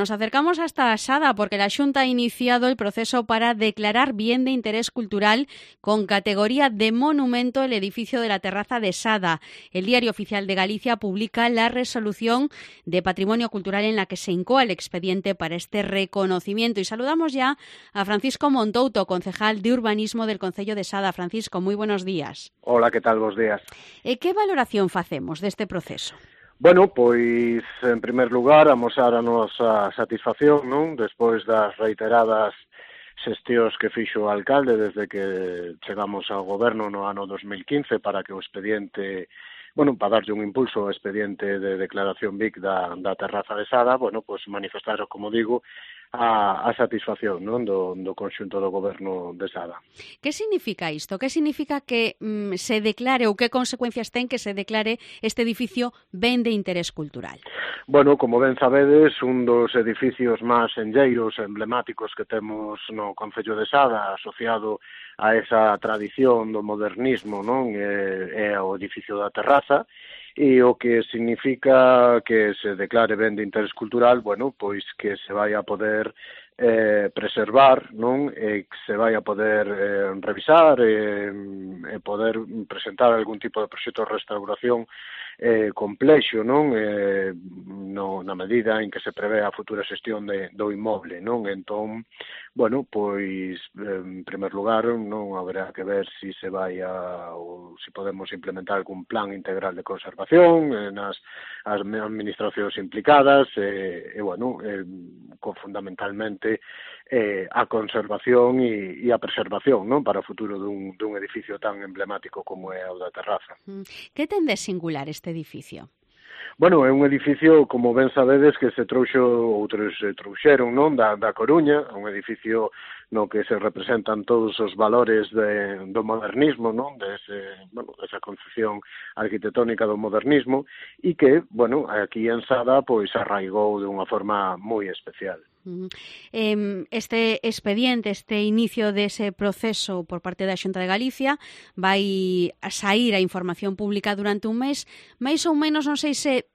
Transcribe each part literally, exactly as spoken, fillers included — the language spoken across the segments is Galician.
Nos acercamos hasta Sada porque la Xunta ha iniciado el proceso para declarar bien de interés cultural con categoría de monumento el edificio de la terraza de Sada. El Diario Oficial de Galicia publica la resolución de patrimonio cultural en la que se incoa el expediente para este reconocimiento. Y saludamos ya a Francisco Montouto, concejal de Urbanismo del Concello de Sada. Francisco, muy buenos días. Hola, que tal, bos días. E que valoración facemos deste proceso? Bueno, pois, en primer lugar, amosar a nosa satisfacción, non? Despois das reiteradas xestións que fixo o alcalde desde que chegamos ao goberno no ano dos mil quince para que o expediente, bueno, para darlle un impulso ao expediente de declaración B I C da, da terraza de Sada, bueno, pois manifestar, como digo, a, a satisfacción, non, do, do conxunto do goberno de Sada. Que significa isto? Que significa que mm, se declare ou que consecuencias ten que se declare este edificio ben de interés cultural? Bueno, como ben sabedes, un dos edificios máis enlleiros emblemáticos que temos no Concello de Sada, asociado a esa tradición do modernismo, non, é, é o edificio da terraza, e o que significa que se declare ben de interés cultural, bueno, pois que se vai a poder eh, preservar, non, e que se vai a poder eh, revisar e, e poder presentar algún tipo de proxecto de restauración eh, complexo, non, eh, no, na medida en que se prevé a futura xestión de, do inmoble, non, entón, bueno, pois, en primer lugar, non haberá que ver si se vai a, ou si podemos implementar algún plan integral de conservación eh, nas as administracións implicadas, e, e bueno, eh, con fundamentalmente eh, a conservación e, e a preservación, non, para o futuro dun, dun edificio tan emblemático como é o da terraza. Que ten de singular este edificio? Bueno, é un edificio, como ben sabedes, que se trouxo, outros se trouxeron, non, da, da Coruña, un edificio no que se representan todos os valores de, do modernismo, non, dese, bueno, desa concepción arquitectónica do modernismo, e que, bueno, aquí en Sada, pois, arraigou de unha forma moi especial. Este expediente, este inicio dese proceso por parte da Xunta de Galicia vai a saír a información pública durante un mes, máis ou menos non sei se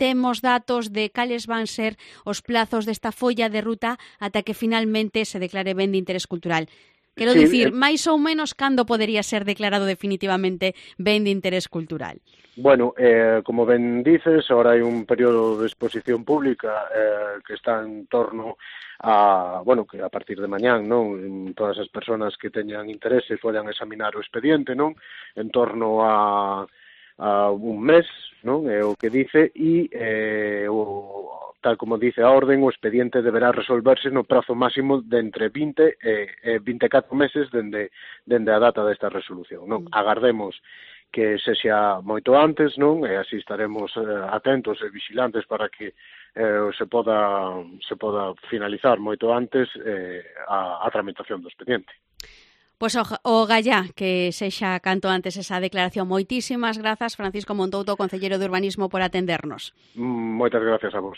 temos datos de cales van ser os plazos desta folla de ruta ata que finalmente se declare ben de interés cultural. Quero sí, dicir, eh... máis ou menos cando podería ser declarado definitivamente ben de interés cultural? Bueno, eh, como ben dices, ahora hai un período de exposición pública eh, que está en torno a, bueno, que a partir de mañán, non, todas as persoas que teñan interese podan examinar o expediente, non, en torno a, a un mes, non, é o que dice, e eh, o, tal como dice a orden, o expediente deberá resolverse no prazo máximo de entre vinte e vinte e catro meses dende, dende a data desta resolución, non, agardemos que sexa moito antes, non? E así estaremos eh, atentos e vigilantes para que eh, se poda se poda finalizar moito antes eh, a, a tramitación do expediente. Pois o, o gallá que sexa canto antes esa declaración. Moitísimas grazas, Francisco Montouto, concelleiro de Urbanismo, por atendernos. Moitas gracias a vos.